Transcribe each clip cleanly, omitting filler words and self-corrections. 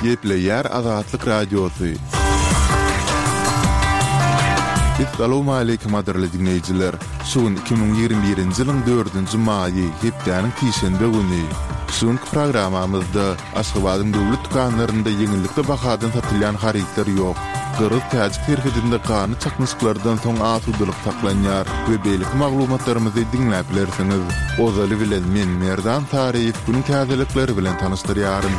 Gepleýär Azatlyk Radiosy. Essalawmaleýkim gadyrly diňleýjiler! Şu gün 2021-nji ýylyň dördünji maýy, hepdäniň sişenbe güni. Şu günki programmamyzda Aşgabadyň döwlet dükanlarynda ýeňillikli bahadan satylýan harytlar ýok. Gyrgyz-täjik serhedinde ganly çaknyşyklardan soň asudalyk saklanýar we beýleki maglumatlarymyzy diňläp bilersiňiz. Ozaly bilen men Merdan Saryýew günüň täzelikleri bilen tanyşdyrýaryn.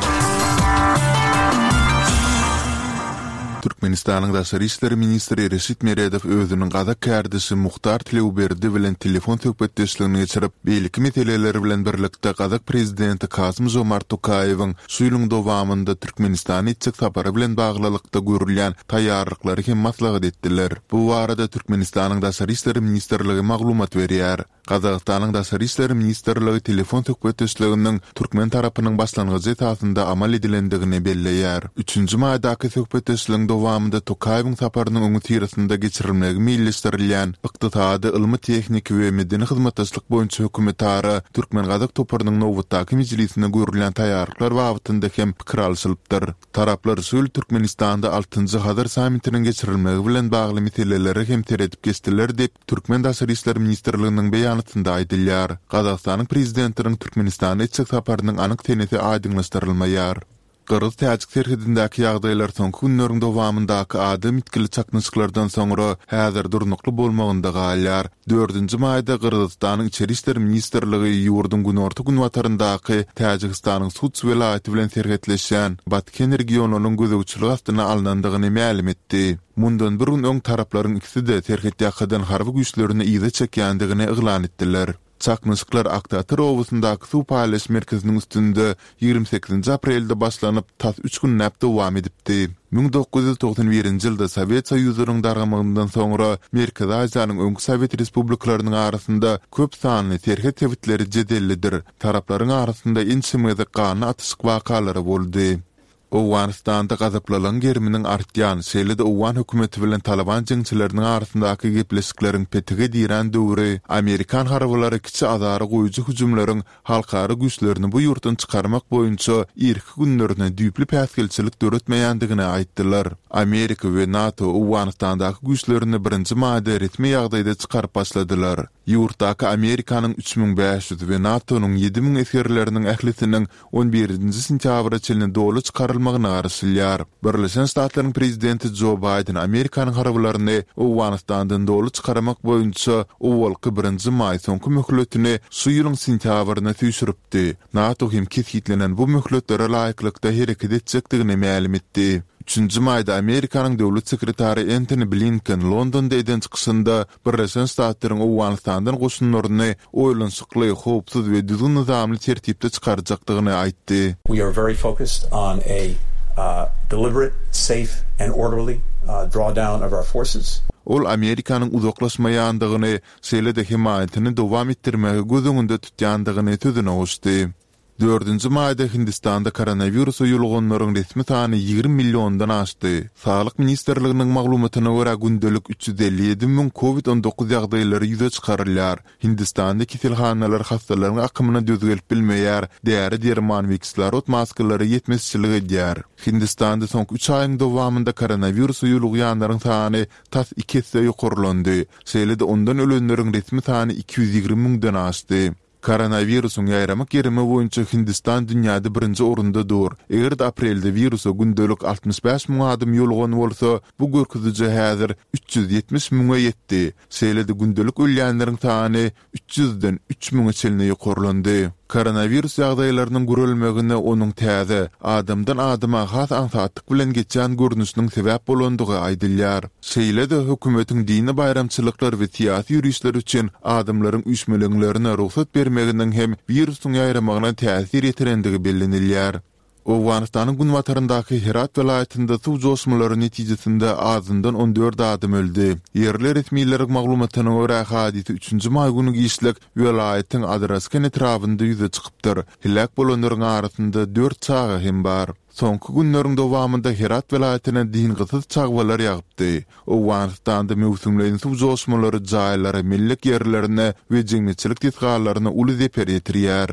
Türkmenistanyň Daşary işler ministri Reşit Meredow özüniň gazak kärdeşi Muhtar Tleuberdi bilen telefon söhbetdeşligini geçirip, beýleki meseleler bilen birlikde gazak prezidenti Kasym-Žomart Tokaýewiň şu ýylyň dowamynda Türkmenistana etjek sapary bilen baglylykda görülýän taýýarlyklary hem maslahat etdiler. Bu barada Türkmenistanyň Daşary işler ministrligi maglumat berýär. Gazagystanyň Daşary işler ministrligi telefon söhbetdeşliginiň türkmen tarapynyň başlangyjy esasynda amal edilendigini belleýär. Üçünji maýdaky söhbetdeşligiň dowamynda Tokaýewiň saparynyň öňüsyrasynda geçirilmegi meýilleşdirilýän ykdysady, ylmy-tehniki we medeni hyzmatdaşlyk boýunça hökümetara türkmen-gazak toparynyň nobatdaky mejlisine görülýän taýýarlyklar babatynda hem pikir alşylypdyr. Taraplar şu ýyl Türkmenistanda altynjy Hazar sammitiniň geçirilmegi bilen bagly meselelere hem seredip geçdiler diýip, Türkmen Daşary işler ministrliginiň beýanatynda aýdylýar. Gazagystanyň Prezidentiniň Türkmenistana etjek saparynyň anyk senesi aýdyňlaşdyrylmaýar. Gyrgyz-täjik serhedindäki ýagdaýlar soňky günleriň dowamyndaky adam ýitgili çaknyşyklardan soňra häzir durnukly bolmagynda galýar. Dördünji maýda Gyrgyzystanyň Içeri işler ministrligi ýurduň günorta-günbataryndaky Täjigistanyň Suds welaýaty bilen serhetleşýän Batken regionynyň gözegçilik astyna alnandygyny mälim etdi. Mundan bir gün öň taraplaryň ikisi-de serhetýakadan harby güýçlerini yza çekýändigini yglan etdiler. Çaknyşyklar Aktatyr obasyndaky suw paýlaýyş merkeziniň üstünde 28-nji aprelde başlanyp, tas üç günläp dowam edipdi. 1991-nji ýylda Sowet Soýuzynyň dargamagyndan soňra Merkezi Aziýanyň öňki sowet respublikalarynyň arasynda köp sanly serhet sebitleri jedellidir. Taraplaryň arasynda ençeme gezek ganly atyşyk wakalary boldy. Owganystanda gazaplylygyň geriminiň artýan, şeýle-de owgan hökümeti bilen Talyban jeňçileriniň arasyndaky gepleşikleriň petige dirän döwri amerikan harbylary kiçi azara goýujy hüjümleriň halkara güýçlerini bu ýurtdan çykarmak boýunça irki günlerine düýpli päsgelçilik döretmeýändigini aýtdylar. Amerika we NATO Owganystandaky güýçlerini birinji maýda resmi ýagdaýda çykaryp başladylar. Ýurtdaky Amerikanyň 3500 we NATO-nyň 7000 esgerleriniň ählisiniň on birinji sentýabra çenli doly çykarylmagyna garaşylýar. Birleşen Ştatlaryň prezidenti Jo Baýden Amerikanyň harbylaryny Owganystandan doly çykarmak boýunça owalky birinji maý soňky möhletini şu ýylyň sentýabryna süýşüripdi. NATO hem kesgitlenen bu möhletlere laýyklykda hereket etjekdigini mälim etdi. Üçünji maýda Amerikanyň döwlet sekretary Entoni Blinken Londonda eden çykyşynda Birleşen Ştatlaryň Owganystandan goşunlaryny oýlanyşykly, howpsuz we düzgün-nyzamly tertipde çykarjakdygyny aýtdy. We are very focused on a deliberate, safe and orderly drawdown of our forces. Ol Amerikanyň uzaklaşmaýandygyny, şeýle-de hemaýatyny dowam etdirmegi göz öňünde tutýandygyny sözüne goşdy. Dördünji maýda Hindistanda koronawirusa ýoluganlaryň resmi sany 20 milliondan aşdy. Saglyk ministrliginiň maglumatyna görä, gündelik 357 müň Covid 19 ýagdaýlary ýüze çykarylýar. Hindistanda keselhanalar hassalaryň akymyna döz gelip bilmeýär, däri-derman we kislorod maskalary ýetmezçilik edýär. Hindistanda soňky üç aýyň dowamynda koronawirusa ýolugýanlaryň sany tas iki esse ýokarlandy. Şeýle-de ondan ölenleriň resmi sany 220 müňden aşdy. Koronawirusyň ýaýramak gerimi boýunça Hindistan dünýäde birinji orunda dur. Eger-de aprelde wirusa gündelik 65 müň adam ýolugan bolsa, bu görkeziji häzir 370 müňe ýetdi. Şeýle-de gündelik ölýänleriň sany 300-den üç müňe çenli ýokarlandy. Koronawirus ýagdaýlarynyň gürelmegine onuň täze, adamdan adama has aňsatlyk bilen geçýän görnüşiniň sebäp bolandygy aýdylýar. Şeýle-de, hökümetiň dini baýramçylyklar we syýasy ýörişler üçin adamlaryň üýşmeleňlerine rugsat bermeginiň hem wirusyň ýaýramagyna täsir ýetirendigi bellenilýär. Owganystanyň günbataryndaky Herat welaýatynda suw joşmalary netijesinde azyndan 14 adam öldi. Ýerli resmileriň maglumatyna görä, hadysa üçünji maý güni giçlik welaýatyň Adrasken etrabynda ýüze çykypdyr. Heläk bolanlaryň arasynda dört çaga hem bar. Soňky günleriň dowamynda Herat welaýatyna dyngysyz çagbalar ýagypdy. Owganystanda möwsümleýin suw joşmalary jaýlara, mellek ýerlerine we jemgyýetçilik desgalaryna uly zeper ýetirýär.